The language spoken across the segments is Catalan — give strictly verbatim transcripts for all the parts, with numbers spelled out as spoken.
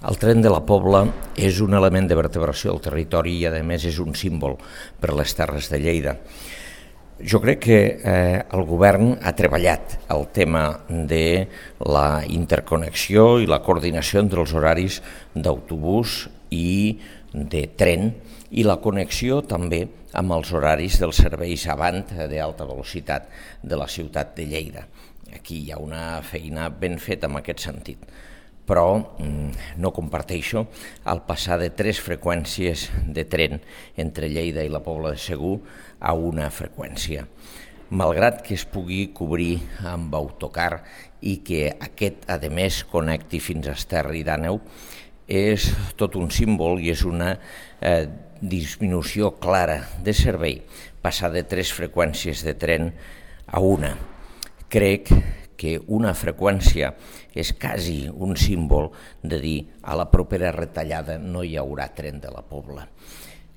El tren de la Pobla és un element de vertebració del territori i, a més, és un símbol per les Terres de Lleida. Jo crec que eh, el govern ha treballat el tema de la interconnexió i la coordinació entre els horaris d'autobús i de tren i la connexió també amb els horaris dels serveis avant d'alta velocitat de la ciutat de Lleida. Aquí hi ha una feina ben feta en aquest sentit, però no comparteixo el passar de tres freqüències de tren entre Lleida i la Pobla de Segur a una freqüència. Malgrat que es pugui cobrir amb autocar i que aquest, a més, connecti fins a Esterri d'Àneu, és tot un símbol i és una eh, disminució clara de servei passar de tres freqüències de tren a una. Crec que una freqüència és quasi un símbol de dir a la propera retallada no hi haurà tren de la Pobla.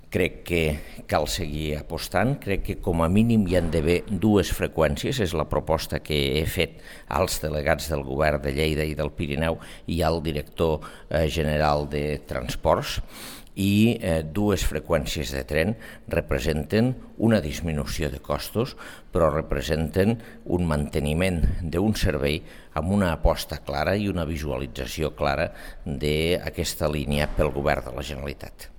Crec que cal seguir apostant, crec que com a mínim hi han d'haver dues freqüències, és la proposta que he fet als delegats del govern de Lleida i del Pirineu i al director general de Transports, i eh, dues freqüències de tren representen una disminució de costos, però representen un manteniment d'un servei amb una aposta clara i una visualització clara d'aquesta línia pel govern de la Generalitat.